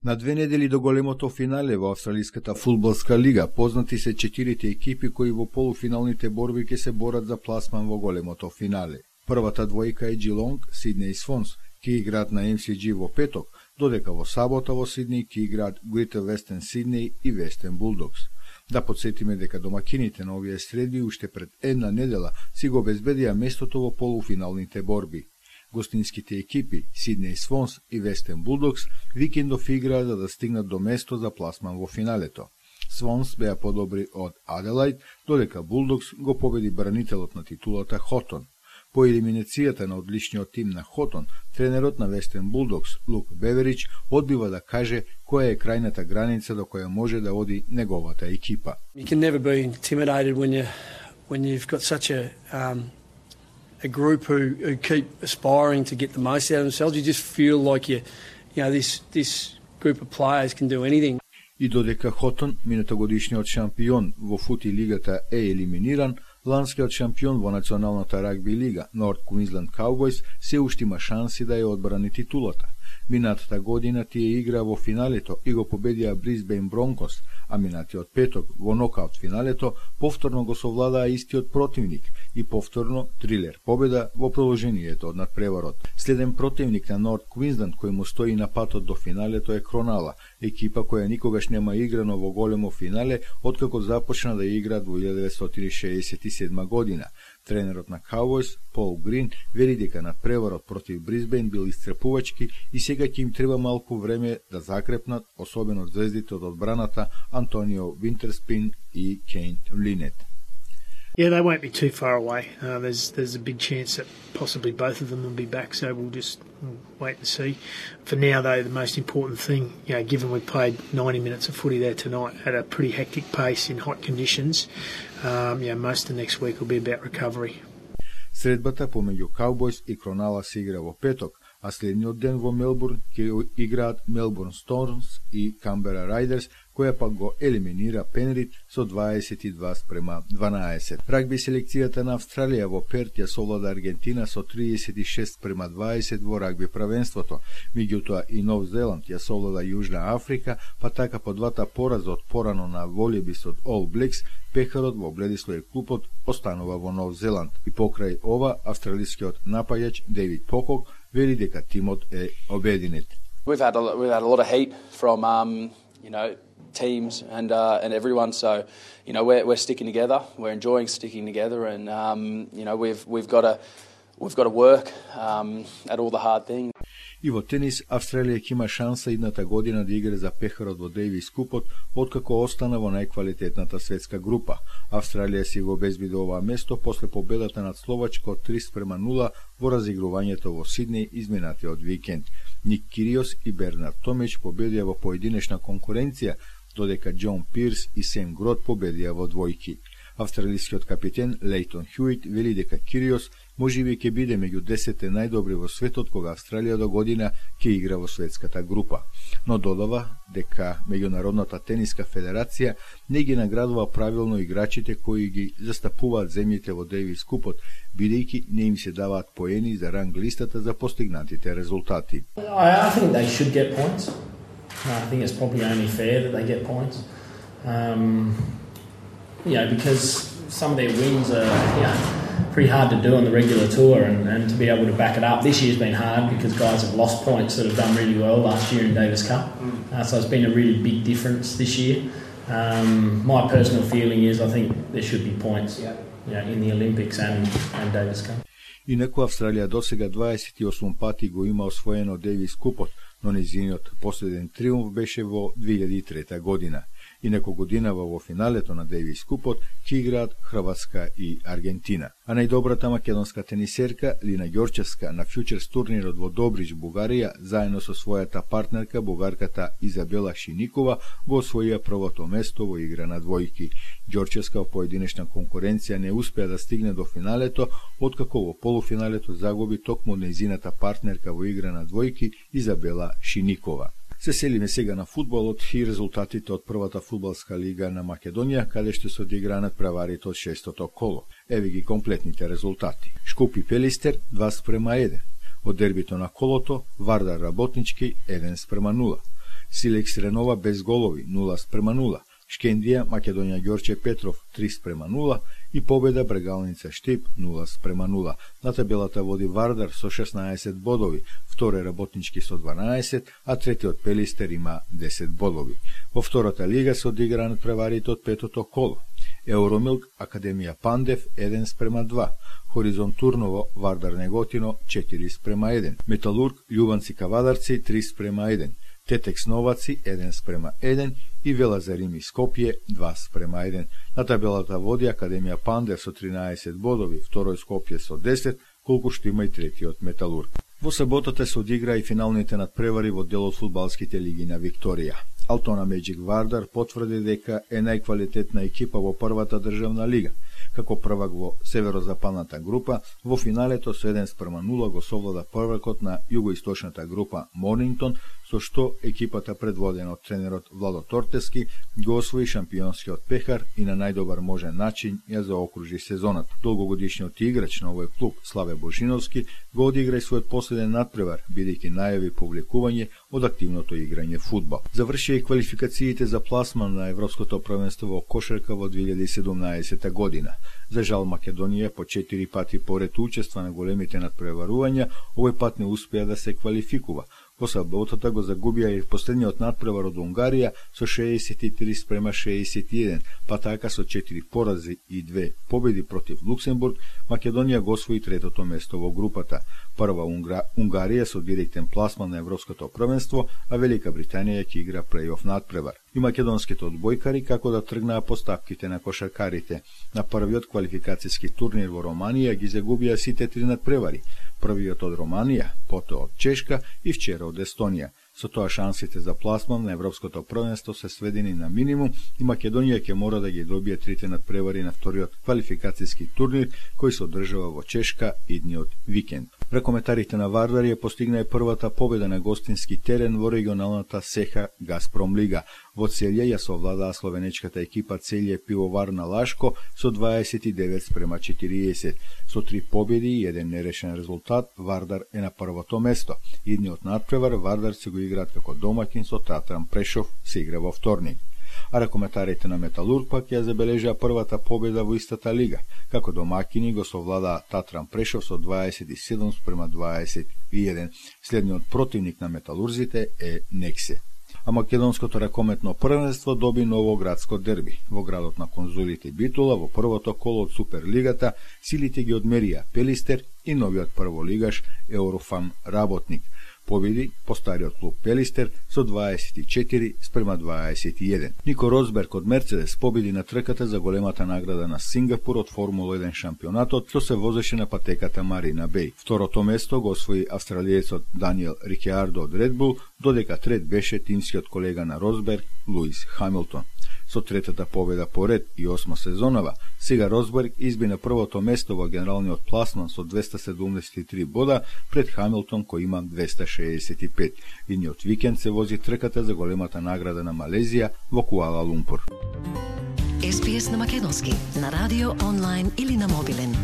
На 2 недели до големото финале во Австралиската фудбалска лига познати се 4 екипи кои во полуфиналните борби ќе се борат за пласман во големото финале. Првата двојка е Geelong, Сиднеј Свонс, ки играат на MCG во петок, додека во сабота во Сиднеј ки играат Greater Western Sydney и Western Bulldogs. Да подсетиме дека домакините на овие средби уште пред една недела си го обезбедија местото во полуфиналните борби. Гостинските екипи Сиднеј Свонс и Western Bulldogs викендов играа за да стигнат до место за пласман во финалето. Свонс беа подобри од Аделаид, додека Bulldogs го победи бранителот на титулата Хотон. По елиминацијата на одличниот тим на Хотон, тренерот на Western Bulldogs, Лук Беверич, одбива да каже која е крајната граница до која може да оди неговата екипа. You can never be intimidated when you've got such a group who keep aspiring to get the most out of themselves. You just feel like this group of players can do anything. И додека Хотон, минатогодишниот шампион во фути лигата, е елиминиран, ланскиот шампион во националната рагби лига, North Queensland Cowboys, се уште има шанси да ја одбрани титулата. Минатата година тие игра во финалето и го победија Brisbane Broncos, а минатиот петок во нокаут финалето повторно го совладаа истиот противник и повторно трилер победа во продолжението од надпреварот. Следен противник на North Queensland кој му стои на патот до финалето е Кронала, екипа која никогаш нема играно во големо финале откако започна да игра во 1967 година. Тренерот на Cowboys, Пол Грин, вели дека надпреварот против Брисбен бил исцрпувачки и сега ќе им треба малку време да закрепнат, особено звездите од одбраната Антонио Винтерспин и Кейн Линет. Yeah, they won't be too far away. There's a big chance that possibly both of them will be back, so we'll just wait and see. For now, though, the most important thing, given we played 90 minutes of footy there tonight at a pretty hectic pace in hot conditions, most of the next week will be about recovery. Средбата помеѓу Cowboys и Кронала се игра во петок, а следниот ден во Мелбурн ќе играат Melbourne Storms и Canberra Raiders, која пак го елиминира Пенрит со 22-12. Рагби селекцијата на Австралија во Перт ја совлада Аргентина со 36-20 во рагби правенството. Меѓутоа и Нов Зеланд ја совлада Јужна Африка, па така по двата пораза од порано на волјебис од All Blacks, пехарот во Бредислој клубот останува во Нов Зеланд. И покрај ова, австралискиот напаѓач Дейвид Покок вели дека тимот е обединет. We've had a lot of heat from teams and everyone, so we're sticking together. We're enjoying sticking together, and we've got to work at all the hard things. И во тенис, Австралија ќе има шанса идната година да игра за пехарот во Дејвис купот, откако остана во најквалитетната светска група. Австралија си го обезбеди ова место после победата над Словачка од 3-0 во разигрувањето во Сиднеј изминатиот викенд. Ник Кириос и Бернард Томич победија во поединечна конкуренција, додека Џон Пирс и Сем Грот победија во двојки. Австралискиот капитен Лейтон Хјуит вели дека Кириос можеби ќе биде меѓу 10 најдобри во светот кога Австралија до година ќе игра во светската група. Но додава дека Меѓународната тениска федерација не ги наградува правилно играчите кои ги застапуваат земјите во Дејвис купот, бидејќи не им се даваат поени за ранг листата за постигнатите резултати. I think they should get points. I think it's probably only fair that they get points. Because some of their wins are pretty hard to do on the regular tour, and to be able to back it up. This year's been hard because guys have lost points that have done really well last year in Davis Cup. So it's been a really big difference this year. My personal feeling is I think there should be points in the Olympics and Davis Cup. Инаку Австралија досега 28 пати го има освоено Дејвис купот, но незиниот последен триумф беше во 2003 година. Инаку годинава во финалето на Дејвис купот ќе играат Хрватска и Аргентина. А најдобрата македонска тенисерка Лина Ѓорчевска на фјучерс турнирот во Добрич, Бугарија, заедно со својата партнерка бугарката Изабела Шиникова го освоија првото место во игра на двојки. Ѓорчевска во поединечна конкуренција не успеа да стигне до финалето, откако во полуфиналето загуби токму нејзината партнерка во игра на двојки Изабела Шиникова. Се селиме сега на фудбалот и резултатите од првата фудбалска лига на Македонија, каде што се одигранат преварите од 6-то коло. Еве ги комплетните резултати. Шкупи Пелистер 2-1. Од дербито на колото, Вардар Работнички 1-0. Силекс Ренова без голови 0:0. Шкендија Македонија Ѓорче Петров 3:0 и победа Брегалница Штип 0:0. На табелата води Вардар со 16 бодови, втори Работнички со 12, а третиот Пелистер има 10 бодови. Во втората лига се одигра надпреварите од петото коло. Евромилк Академија Пандев 1:2. Хоризонт Турново Вардар Неготино 4:1. Металург Љубанци Кавадарци 3:1. Тетекс Новаци 1:1 и Велазарими Скопје 2:1. На табелата води Академија Пандев со 13 бодови, второј Скопје со 10, колку што има и третиот Металург. Во саботата се одигра и финалните надпревари во дел од фудбалските лиги на Викторија. Алтона Меджик Вардар потврди дека е најквалитетна екипа во првата државна лига. Како првак во северозападната група, во финалето со 1:0 го совлада првакот на југоисточната група Монингтон, со што екипата предводена од тренерот Владо Тортески го освои шампионскиот пехар и на најдобар можен начин ја заокружи сезоната. Долгогодишниот играч на овој клуб Славе Божиновски го одигра и својот последен надпревар, бидејќи најави публикување од активното играње фудбал. Завршија и квалификациите за пласман на Европското првенство во кошарка во 2017 година. За жал Македонија по 4 пати поред учества на големите надпреварувања, овој пат не успеа да се квалификува. Во саботата го загубија и последниот надпревар од Унгарија со 63:61, па така со 4 порази и 2 победи против Луксембург, Македонија го освои третото место во групата. Прва Унгарија со директен пласман на Европското првенство, а Велика Британија ќе игра плей-оф надпревар. И македонските одбојкари како да тргнаа поставките на кошаркарите. На првиот квалификацијски турнир во Романија ги загубија сите 3 надпревари. Првиот од Романија, потоа од Чешка и вчера од Естонија. Со тоа шансите за пласман на Европското првенство се сведени на минимум и Македонија ќе мора да ги добие трите надпревари на вториот квалификацијски турнир кој се одржава во Чешка идниот викенд. Рекометарите на Вардар ја постигна и првата победа на гостински терен во регионалната СЕХА Газпром лига. Во Целје ја совладаа словенечката екипа Целје Пивовар на Лашко со 29:40. Со 3 победи и 1 нерешен резултат, Вардар е на првото место. Идниот надпревар Вардар се го играат како домакин со Татран Прешов, се игра во вторник. А рекометарите на Металург пак ја забележаа првата победа во истата лига. Како домакини го совладаа Татран Прешов со 27:21. Следниот противник на металурзите е Нексе. А македонското ракометно првенство доби ново градско дерби. Во градот на конзулите Битула, во првото коло од Суперлигата, силите ги одмерија Пелистер и новиот прволигаш Еврофам Работник. Победи по стариот клуб Пелистер со 24:21. Нико Росберг од Мерцедес победи на трката за големата награда на Сингапур од Формула 1 шампионатот, што се возеше на патеката Марина Беј. Второто место го освои австралиецот Даниел Рикјардо од Red Bull, додека трет беше тимскиот колега на Росберг Луис Хамилтон. Со третата победа поред и 8 сезонава, сега Росберг изби на првото место во генералниот пласман со 273 бода пред Хамилтон кој има 265. Идниот викенд се вози трката за големата награда на Малезија во Куала Лумпур. SPS на македонски, на радио, онлайн или на мобилен.